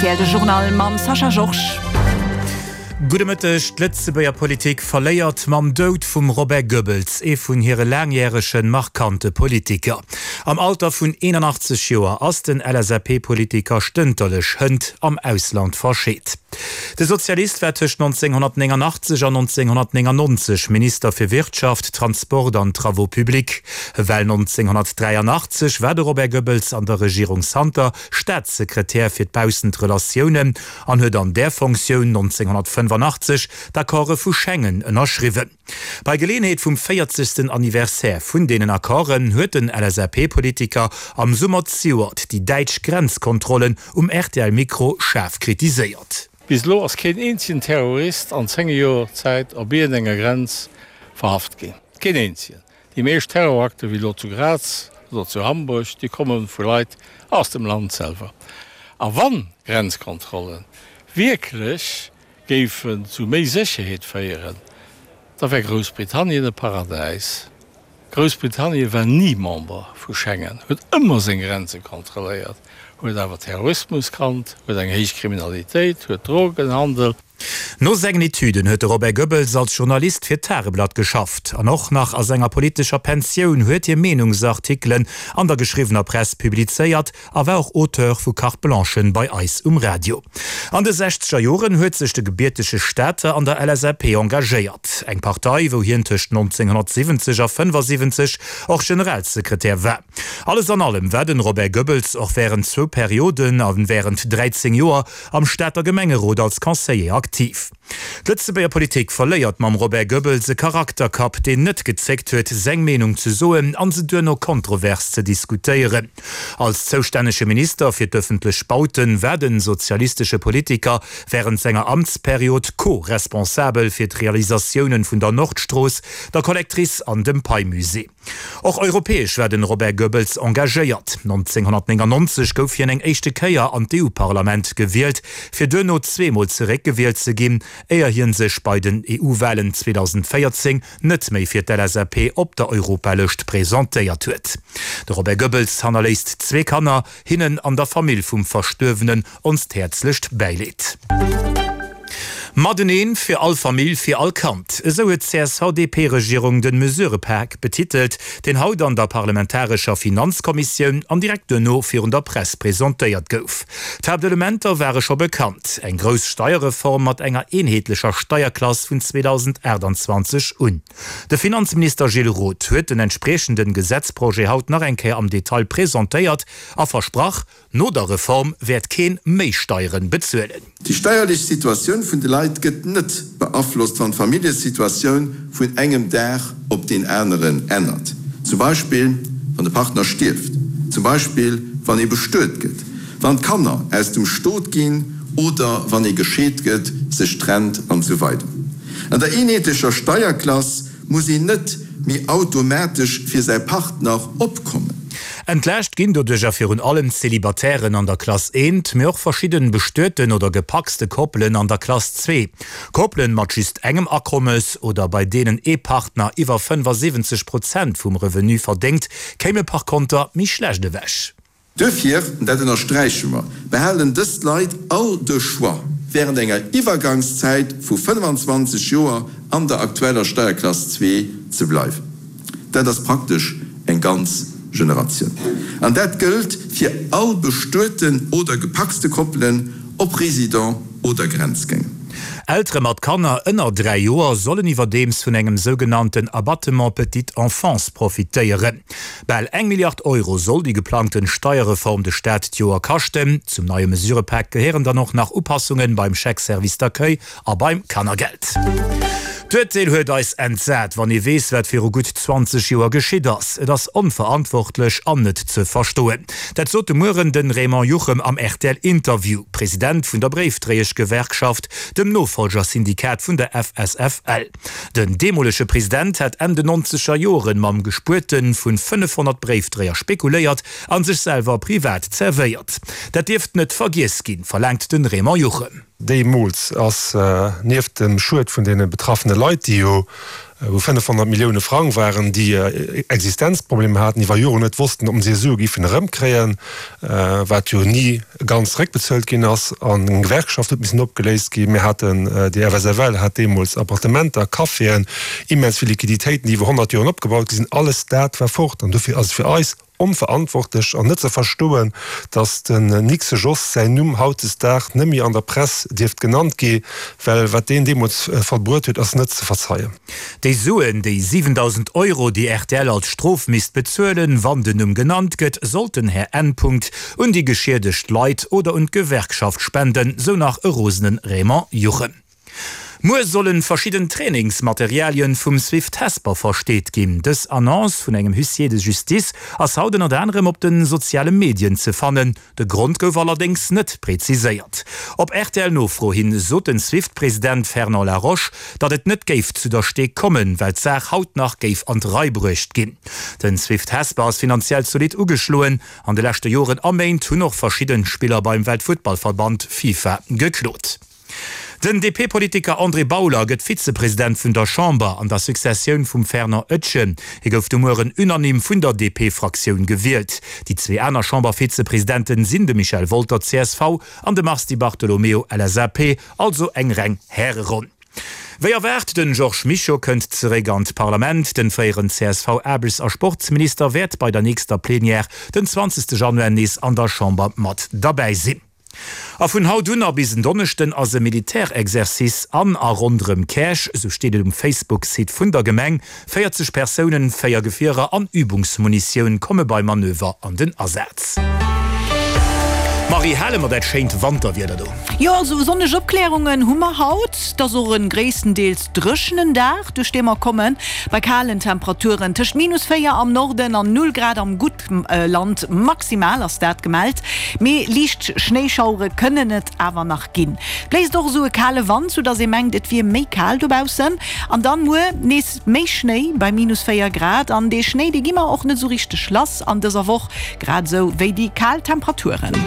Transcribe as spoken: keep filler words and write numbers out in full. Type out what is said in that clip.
rtl, de Journal mam Sascha Georges. Gudde Mëtteg, D'Lëtzebuerger Politik verléiert mam Doud vum Robert Goebbels ee vun hire laangjäregen, markante Politiker. Am Alter vun eenanachtzeg Joer ass den L S A P-Politiker stënterlech hënt am Ausland verscheet. De Sozialist war tëscht nonzénghonnertnénganachtzeg an nonzénghonnertnéngannonzeg Minister fir Wirtschaft, Transport an Travaux publics. Well nonzénghonnertdräianachtzeg war de Robert Goebbels an der Regierung Santer Staatssekretär fir d'Baussentrelatiounen an huet an där Fonctioun nonzénghonnertfënnefanachtzeg d'Accorde vu Schengen ënnerschriwwen. Bei Geleeënheet vum véierzegsten Anniversaire vun deenen Accorden huet den L S A P-Politiker am Summer zejoert déi däitsch Grenzkontrollen um R T L-Mikro schaarf kritiséiert. Bis elo ass keen eenzegen Terrorist an zéng Joer Zäit op iergendenger Grenz verhaft ginn. Keen eenzegen. Déi meescht Terrorakte wéi elo zu Graz oder zu Hamburg, déi komme vu Leit aus dem Land selwer. A wann Grenzkontrolle wierklech géifen zu méi Sécherheet féieren, da wär Groussbritannien e Paradäis. Groussbritannien war ni Member vu Schengen, huet ëmmer seng Grenze kontrolléiert, huet awer Terrorismus kannt, huet eng héich Kriminalitéit, huet Drogenhandel. No sengen Etüden huet de Robert Goebbels als Journalist fir d'Tageblatt geschafft. An och nach a senger politescher Pensioun huet hie Meenungsartikelen an der geschriwwener Press publizéiert a war och Auteur vu Carte-blanchen bei eis um Radio. An de sechzeger Joren huet sech de gebiertege Stater an der L S A P engagéiert, eng Partei, wou hien tëscht nonzénghonnertsiwwenzeg a fënnefasiwwenzeg och Generalsekretär war. Alles an allem war den Robert Goebbels och wärend zwou Perioden a wärend dräizéng Joer am Stater Gemengerot als Conseiller aktiv. D'Lëtzebuerger Politik verléiert mam Robert Goebbels e Charakterkapp, deen net gezéckt huet, seng Meenung ze soen an se duerno kontrovers ze diskutéieren. Als zoustännege Minister fir d'ëffentlech Bauten war de sozialistesche Politiker wärend senger Amtsperiod co-responsabel fir d'Realisatiounen vun der Nordstrooss, der Collectrice an dem Pei-Musée. Och europäesch war den Robert Goebbels engagéiert. nonzénghonnertnéngannonzeg gouf hien eng éischte Kéier an d'E U-Parlament gewielt, fir duerno zweemol zeréckgewielt ze ginn, éier hien sech bei den E U-Walen zweedausendvéierzéng net méi fir d'L S A P op der Europalëscht presentéiert huet. De Robert Goebbels hannerléisst zwee Kanner. Hinnen an der Famill vum Verstuerwenen onst häerzlecht Bäileed. Mateneen fir all Famill, fir all Kand. Esou huet d'C S V D P-Regierung den Mesurëpak betitelt, deen haut an der parlamentarescher Finanzkommissioun an direkt duerno virun der Press presentéiert gouf. D'Haaptelementer ware scho bekannt, eng grouss Steierreform mat enger eenheetlecher Steierklass vun zweedausendaachtanzwanzeg un. De Finanzminister Gilles Roth huet den entspriechenden Gesetzprojet haut nach eng Kéier am Detail presentéiert a versprach, no der Reform wäert keen méi Steieren bezuelen. Déi steierlech Situatioun vun de Leit gëtt net beaflosst, wann d'Familljesituatioun vun engem Dag op deen aneren ännert, zum Beispill wann de Partner stierft, zum Beispill wann ee bestuet gëtt, wann d'Kanner aus dem Stot ginn oder wann ee gescheet gëtt, sech trennt an esou weider An der eenheetlecher Steierklass muss een net méi automatesch fir säi Partner opkommen. Entlaascht ginn doduercher virun allem d'Celibatairen an der Klass eent, mee och verschidden bestueten oder gepacste Koppelen an der Klass zwee. Koppelen mat just engem Akommes oder bei deenen ee Partner iwwer fënnefasiwwenzeg Prozent vum Revenu verdéngt, kéime par konter méi schlecht ewech. Duerfir, an dat ënnersträiche mer, behalen dës Leit all de Choix, während enger Iwwergangszäit vu fënnefanzwanzeg Joer an der aktueller Steierklass zwee ze bleiwen. Dat ass praktesch eng ganz Generatioun. An dat gëllt fir all bestueten oder gepacste Koppelen, ob Résident oder Grenzgänger. Eltere mat Kanner ënner dräi Joer sollen iwwerdeems vun engem sougenannten Abattement petite enfance profitéieren. Bal eng Milliard Euro soll déi geplangten Steierreform de Staat d'Joer kaschten. Zum neie Mesurëpak gehéieren dann och nach Upassungen beim Chèque service d'accueil a beim Kannergeld. D'Urteel huet eis entsat, wann ee weess, wat viru gutt zwanzeg Joer geschitt ass. Et ass onverantwortlech an net ze verstoen. Dat sot de Mueren de Raymond Juchem am R T L-Interview, President vun der Bréifdréieschgewerkschaft, dem Nofollgersyndikat vun der F S F L. Den deemolege President hat Enn den nonzeger Joren mam Gespuerte vu fënnefhonnert Bréifdréier spekuléiert a sech selwer privat zerwéiert. Dat dierft net vergiess ginn, verlaangt de Raymond Juchem. Deemools ass nieft dem Schued vun deene betraffene Leit, déi jo wou fënnefhonnert Millioune Frang waren, déi Existenzproblemer haten, iwwer Joren net wossten, ob se hir Sue géifen erëmkréien, wat jo ni ganz zeréckbezuelt ginn ass, an eng Gewerkschaft huet missen opgeléist ginn. Mir haten, déi F S F L hat deemools Appartementer, Caféen, immens vill Liquiditéiten, déi iwwer honnert Joren opgebaut gi sinn. Alles dat war fort. An dofir ass et fir eis onverantwortlech an net ze verstoen, datt den Nixe Jos säin Numm hautdesdaags net méi an der Press dierft genannt gi, well wat deen deemools vollbruet huet, ass net ze verzeien. Déi Suen, déi siwendausend Euro, déi R T L als Strof misst bezuelen, wann den Numm genannt gëtt, sollt den Här N. Punkt un déi geschiedegt Leit oder un d'Gewerkschaft spenden, sou nach e rosene Raymond Juchen. Muer sollen verschidden Trainingsmaterialien vum Swift Hesper versteet ginn. Dës Annonce vun engem Huissier de justice ass haut ënnert anerem op de soziale Medien ze fannen. De Grond gouf allerdéngs net preziséiert. Op R T L-Nofro hin sot den Swift-President Fernand Laroche, datt et net géif zu der Stee kommen, well d'Saach haut nach géif an d'Rei bruecht ginn. Den Swift Hesper ass finanziell zolidd ugeschloen. An de leschte Joren a Méint hunn och verschidden Spiller beim Weltfuttballverband FIFA geklot. Den D P-Politiker André Bauler gëtt Vizepresident vun der Chamber an der Successioun vum Fernand Etgen. Hie gouf de Mueren unanime vun der D P-Fraktioun gewielt. Déi zwee aner Chambervizepresidenten sinn de Michel Wolter, C S V, an de Mars Di Bartolomeo, L S A P, also eng reng Häreronn. Wéi erwaart, den Georges Mischo kënnt zeréck an d'Parlament. Den fréieren C S V-Aarbechts a Sportsminister wäert bei der nächster Plenière den zwanzegste Januar nees an der Chamber mat derbäi sinn. A vun haut un a bis en Donneschden ass e Militärexercice an a ronderëm Käerch, sou steet et um Facebook-Site vun der Gemeng. véierzeg Persounen, véier Gefierer an Übungsmunitioun komme beim Manöver an den Asaz. Marie, hale mer dat schéint Wanterwieder do? Jo, also sonneg Opkläerungen hu mer haut. Et ass och e gréisstendeels dréchenen Dag, duerch dee mer kommen, bei kalen Temperaturen tëscht minus véier am Norden an null Grad am Guttland maximal ass dat gemellt. Mee liicht Schnéischauere kënnen et awer nach ginn. Bléist och esou e kale Wand, soudass ee mengt, et wier méi kal dobaussen. An dann muer nees méi Schnéi bei minus véier Grad. An dee Schnéi, dee gi mer och net esou richteg lass an dëser Woch, grad esou wéi déi kal Temperaturen.